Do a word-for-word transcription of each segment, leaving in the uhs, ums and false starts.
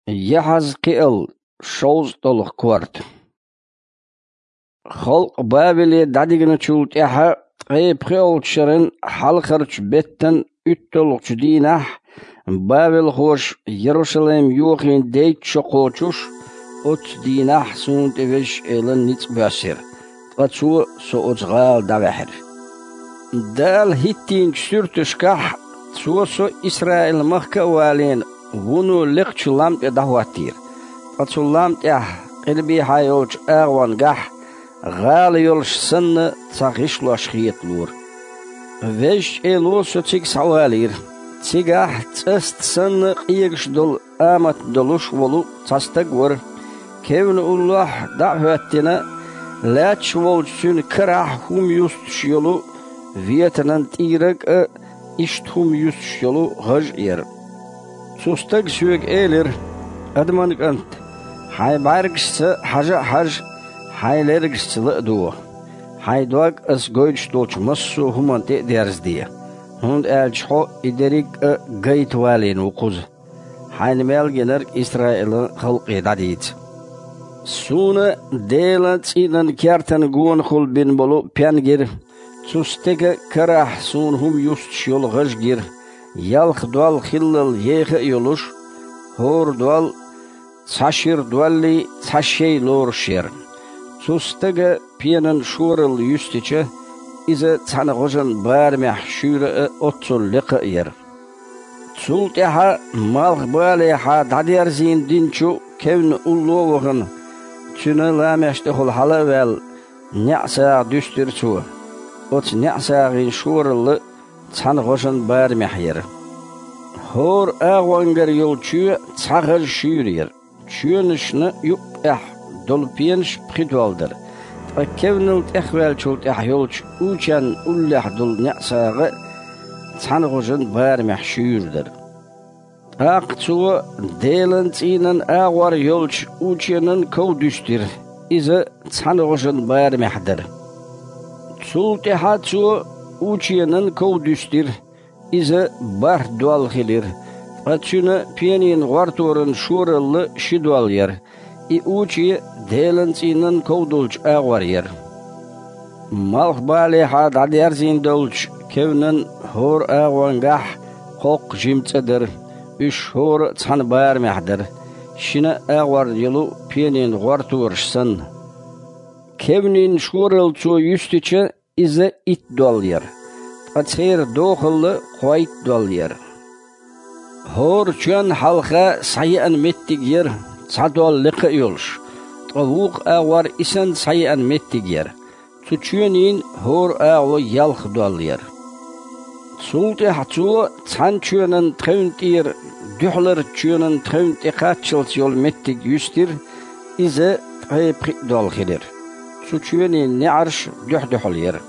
Яхьазкхиал, шовзткъалгӀа корта. Халкъ Бавеле дӀадигначул тӀаьхьа ткъе пхиолчу шеран хьалхарчу беттан уьтталгӀачу дийнахь, бавелхоша Ярушалайм йохийна дейтта шо кхочуш, оццу дийнахь суна тӀе Везачу Элан ницкъ боьссира, ткъа Цо со оцу гӀала дӀаваьхьира. Дала хӀиттийначу суьрташкахь Цо со Исраил-махка а валийна, вуно лекхачу лам тӀе дӀахӀоттийра, ткъа цу лам тӀехь къилбехьа йолчу агӀонгахь гӀала йолуш санна цхьа гӀишлош хеталора. Везачу Эло со цига схьавалийра. Цигахь цӀаста санна къегаш долу амат долуш волу цхьа стаг вара. Кевнна уллохь дӀа а хӀоьттина, лаьтташ волчу цуьнан карахь хӀума юстуш йолу ветанан тӀийраг а, иштта хӀума юстуш йолу гӀаж а яра. Цу стага соьга элира: «Адаман кӀант, хьайн бӀаьргашца хьажа а хьажа, хьайн лергашца ла а доха. Хьайн дог ас гойтуш долчу массо а хӀуманна тӀе а дерзаде, хӀунда аьлча хьо и дерриг а гайта валийна ву кхуза. Хьайна мел гинарг Исраилан халкъе дӀадийца». Суна Делан цӀийнан кертан гонахула бина болу пен гира. Цу стеган карахь суна хӀума юстуш йолу гӀаж гира, ялх дол хиллал еха а йолуш, хӀора дол цхьа шира доллий, цхьа шей лоруш яра. Цу стага пенан шоралла юьстича, иза цхьана гӀожан барамехь шуьйра а, оццул лекха а яра. Цул тӀаьхьа малхбалехьа дӀадерзийна динчу кевнна улло а вахана, цуьнан ламеш тӀехула хьала а ваьлла, неӀсагӀа дуьстира цо. Оцу неӀсагӀин шоралла цхьана гӀожан барамехь яра. ХӀора агӀонгара йолу чоь цхьа гӀаж шуьйра яра. Чоьнашна юккъехь долу пенаш пхи дол дара, ткъа кевнал тӀехваьллачул тӀаьхьа йолчу ученна уллехь долу неӀсагӀа а цхьана гӀожан барамехь шуьйра дара. ТӀаккха цо Делан цӀийнан агӀор йолчу ученан ков дуьстира, иза цхьана гӀожан барамехь дара. Цул тӀаьхьа цо ученан ков дуьстира, иза бархӀ дол хилира, ткъа цуьнан пенийн гӀорторан шоралла ши дол яра, и уче Делан цӀийнан ков долчу агӀор яра. Малхбалехьа дӀадерзийна долчу кевнан хӀора агӀонгахь кхоккха жима цӀа дара, уьш хӀора а цхьана барамехь дара, шина а агӀор йолу пенийн гӀортораш санна. Кевнийн шоралла цо юьстича, иза итт дол яра, ткъа церан дохалла кхойтта дол яра. ХӀора чоьнна хьалха схьаеана меттиг яра, цхьа дол лекха а йолуш, ткъа вукху агӀор и санна схьаеана меттиг яра. Цу чоьнийн хӀора агӀо ялх дол яра. Цул тӀаьхьа цо цхьана чоьнан тхевна тӀера дуьхьаларчу чоьнан тхевна тӀе кхаччалц йолу меттиг юьстира, иза ткъе пхиъ дол хилира. Цу чоьнийн неӀарш дуьхь-дуьхьал яра.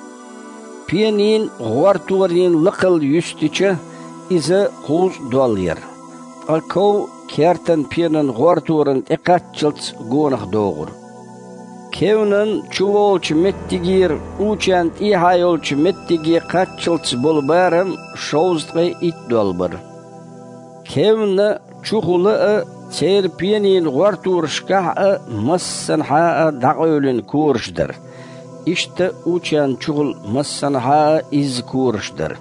Пенийн гӀорторийн лакхалла юьстича, иза кхузткъа дол яра. Ткъа ков кертан пенан гӀорторан тӀе кхаччалц гонах догӀура. Кевнан чуволчу меттигера ученна тӀехьа йолчу меттиге кхаччалц болу барам шовзткъе итт дол бара. Кевнна чухула а, церан пенийн гӀорторашкахь а массанхьа а дӀакъевлина кораш дара. Иштта ученна чухула массанхьа а изза кораш дара,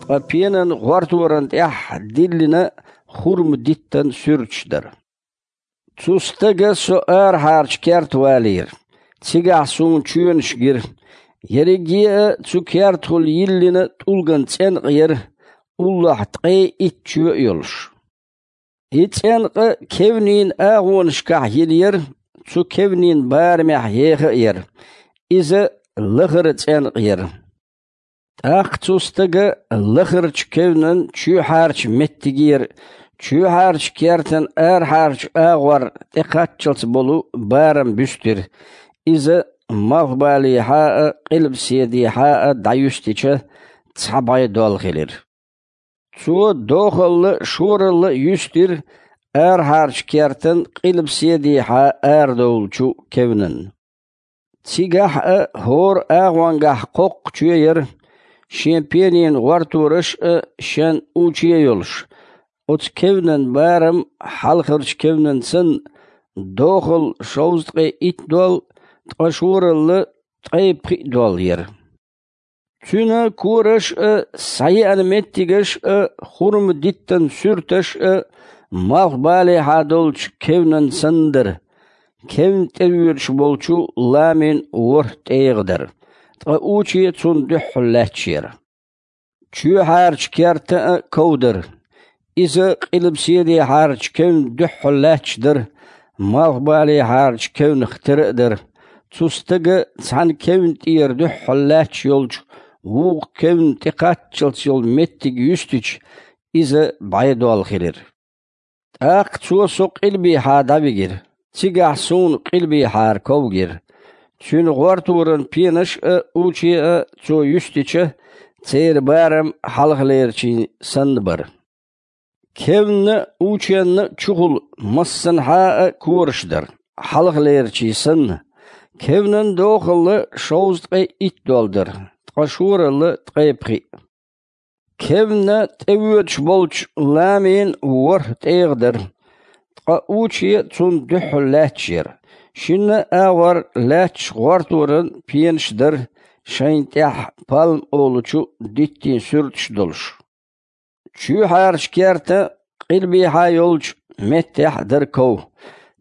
ткъа пенан гӀорторан тӀехь диллина хурма-диттан суьрташ дара. Цу стага со арахьарчу керта валийра. Цигахь суна чоьнаш гира. Ерриге а цу кертахула йиллина тӀулган цӀенкъа яра, уллохь ткъе итт чоь а йолуш. И цӀенкъа кевнийн агӀонашкахь йина яра, цу кевнийн барамехь еха а яра. Иза лахара цӀенкъа яра. ТӀаккха цу стага лахарчу кевнан чоьхьарчу меттигера, чоьхьарчу кертан арахьарчу агӀор тӀе кхаччалц болу барам буьстира. Иза малхбалехьа а, къилбаседехьа а дӀаюьстича, цхьа бӀе дол хилира. Цо дохалла, шоралла а юьстира арахьарчу кертан къилбаседехьа арадовлучу кевнан. Цигахь а хӀора агӀонгахь кхоккха чоь яра, шен пенийн гӀортораш а, шен уче а йолуш, Оцу кевнан барам хьалхарчу кевнан санна дохалла шовзткъе итт дол, ткъа шоралла ткъе пхиъ дол яра. Цуьнан кораш а, схьаеана меттигаш а, хурма-диттан суьрташ а малхбалехьа долчу кевнан санна дара. Кевн тӀевоьдуш болчу ламин ворхӀ тӀегӀа дара, ткъа уче цунна дуьххьал лаьтташ яра. Чоьхьарчу керта а ков дара. Иза къилбаседехьарчу кевнна дуьххьал лаьтташ дара, малхбалехьарчу кевнах тера а дара. Цу стага цхьана кевнна тӀера дуьххьал лаьтташ йолчу вукху кевнна тӀекхаччалц йолу меттиг юьстича, иза бӀе дол хилира. ТӀаккха цо со къилбехьа дӀавигира. Цигахь суна къилбехьара ков гира. Цуьнан гӀорторан пенаш а, уче а цо юьстича, церан барам хьалхалерчийн санна бара. Кевнна а, ученна а чухула массанхьа а кораш дара, хьалхалерчийн санна. Кевнан дохалла шовзткъе итт дол дара, ткъа шоралла ткъе пхиъ. Кевнна тӀевоьдуш болчу ламин ворхӀ тӀегӀа дара, ткъа уче цунна дуьххьал лаьтташ яра. Шинна а агӀор лаьтташ гӀорторан пенаш дара, шайна тӀехь пальма олучу диттийн суьрташ долуш. Чоьхьарчу керта къилбехьа йолчу меттехь дара ков.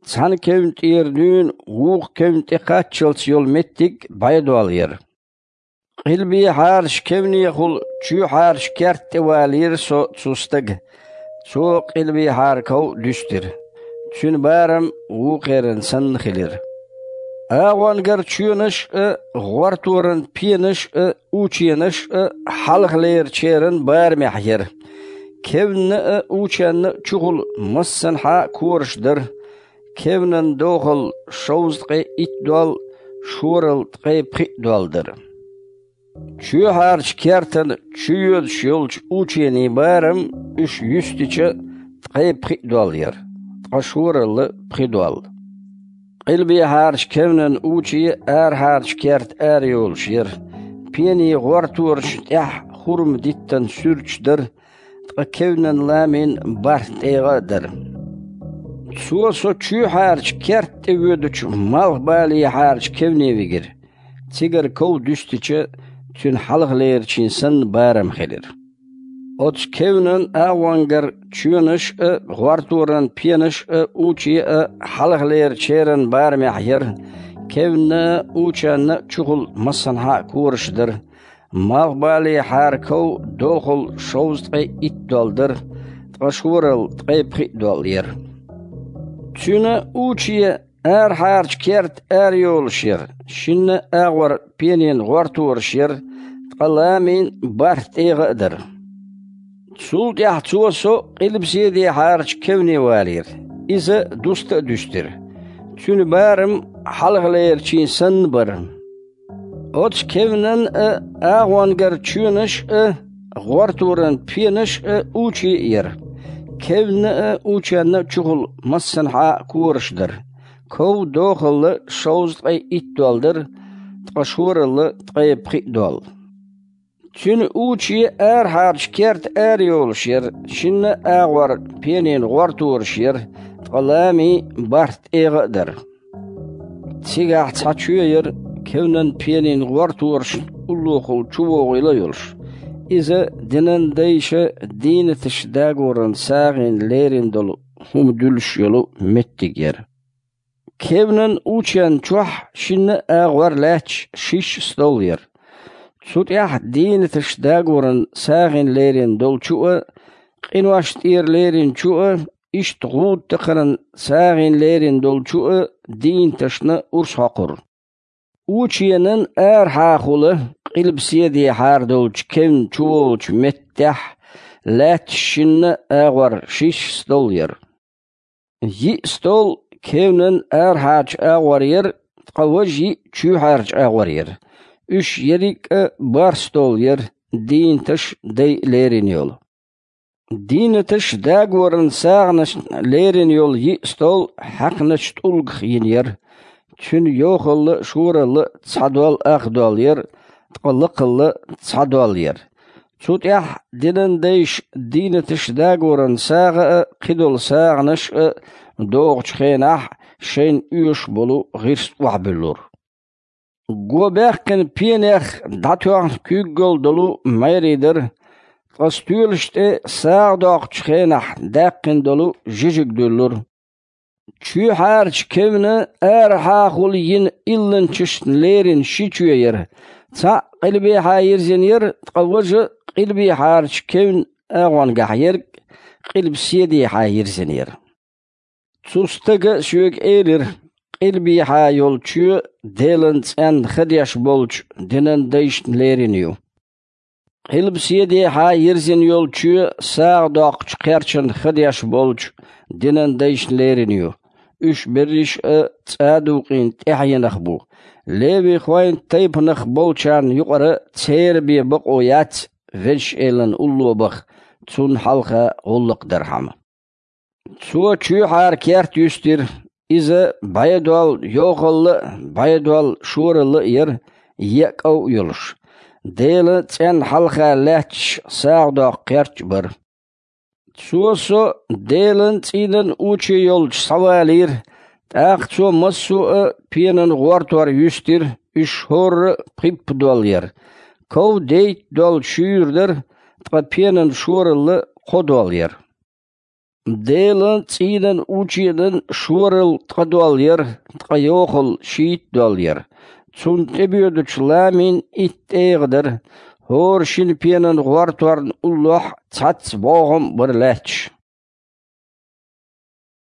Цхьана кевнна тӀера дуьйна вукху кевнна тӀекхаччалц йолу меттиг бӀе дол яра. Къилбехьарчу кевнехула чоьхьарчу керта тӀе валийра со цу стага. Цо къилбехьара ков дуьстира. Цуьнан барам вукхеран санна хилира. АгӀонгара чоьнаш а, гӀорторан пенаш а, ученаш а хьалхалерачеран барамехь яра. Кевнна а, ученна а чухула массанхьа а кораш дара. Кевнан дохалла шовзткъе итт дол, шоралла ткъе пхиъ дол дара. Чоьхьарчу кертан чуйоьдуш йолчу ученийн барам уьш юьстича, ткъе пхиъ дол яра, ткъа шоралла пхи дол. Къилбехьарчу кевнан уче арахьарчу керта арайолуш яра. Пенийн гӀорторашна тӀехь хурма-диттан суьрташ дара, ткъа кевнан ламин бархӀ тӀегӀа а дара. Цо со чоьхьарчу керта тӀе воьдучу малхбалехьарчу кевне вигира. Цигара ков дуьстича, цуьнан хьалхалерачийн санна барам хилира. Оцу кевнан агӀонгара чоьнаш а, гӀорторан пенаш а, уче а хьалхалерачеран барамехь яра. Кевнна а, ученна а чухула массанхьа а кораш дара. Малхбалехьара ков дохалла шовзткъе итт дол дара, ткъа шоралла ткъе пхиъ дол яра. Цуьнан уче арахьарчу керта арайолуш яра, шинна а агӀор пенийн гӀортораш яра, ткъа ламин бархӀ тӀегӀа а дара. Цул тӀаьхьа цо со къилбаседехьарчу кевне валийра. Иза дуста а дуьстира. Цуьнан барам хьалхалерачийн санна бара. Оцу кевнан а, агӀонгара чоьнаш а, гӀорторан пенаш а уче а яра. Кевнна а, ученна а чухула массанхьа а кораш дара. Ков дохалла шовзткъе итт дол дара, ткъа шоралла ткъе пхиъ дол. Цуьнан уче арахьарчу керта арайолуш яра, шинна а агӀор пенийн гӀортораш яра, ткъа ламин бархӀ тӀегӀа а дара. Цигахь цхьа чоь яра, кевнан пенийн гӀорторашна уллохула чувогӀийла а йолуш. Иза динан дайша дийнаташ дагоран сагӀина лерина долу хӀума дуьллуш йолу меттиг яра. Кевнан ученна чохь шинна а агӀор лаьтташ шишша стол яра. Цу тӀехь дийнаташ дагоран сагӀина лерина долчу а, къинош тӀера леринчу а, иштта гӀуда такхаран сагӀина лерина долчу а дийнаташна урс хьокхура. Ученан арахьахула къилбаседехьара долчу кевнна чуволучу меттехь лаьтташ шинна а агӀор шишша стол яра. Йиъ стол кевнан арахьарчу агӀор яра, ткъа важа йиъ чоьхьарчу агӀор яра. Уьш ерриг а бархӀ стол яра, дийнаташ дайа лерина йолу. Дийнаташ дагоран сагӀанашна лерина йолу йиъ стол хьаькхначу тӀулгах йина яра. Цуьнан йохалла а, шоралла а цхьа дол ах дол яра, ткъа лакхалла а цхьа дол яра. Цу тӀехь динан дайша дийнаташ дагоран сагӀа а, кхидолу сагӀанаш а догӀучу хенахь шайна оьшуш болу гӀирс охьабуьллура. Го баьккхина пенех дӀатоьхна куьйгалла долу майрий дара, ткъа стоьлаш тӀе сагӀа доккхучу хенахь даьккхина долу жижиг дуьллура. Чоьхьарчу кевнан арахьахула йина илланчашна лерина ши чоь яра. Цхьаъ къилбехьа йирзина яра, ткъа важа къилбехьарчу кевнан агӀонгахь ерг къилбаседехьа йирзина яра. Цу стага соьга элира: «Къилбехьа йолу чоь Делан цӀенна ха деш болчу динан дайшна лерина ю. Къилбаседехьа йирзина йолу чоь сагӀа доккхучу кхерчана ха деш болчу динан дайшна лерина ю. Уьш берриш а цӀа а дукъийна тӀаьхьенах бу. Левихойн тайпанах болчарна юкъара церан бен бакъо яц Везачу Элана улло баха, цунна хьалха гӀуллакх дархьама». Цо чоьхьара керт юьстира. Иза бӀе дол йохалла а, бӀе дол шоралла а яра, еа кӀов а йолуш. Делан цӀенна хьалха лаьтташ сагӀа доккху керт а бара. Цо со Делан цӀийнан уче йолчу схьавалийра, тӀаккха цо массо а пенан гӀортор юьстира, уьш хӀорра а пхиппа дол яра. Ков дейтта дол шуьйра дара, ткъа пенан шоралла кхо дол яра. Делан цӀийнан ученан шоралла ткъа дол яра, ткъа йохалла шийтта дол яра. Цунна тӀебоьдучу ламин итт тӀегӀа дара, хӀора шина пенан гӀорторна уллохь цхьацца бӀогӀам а бара лаьтташ.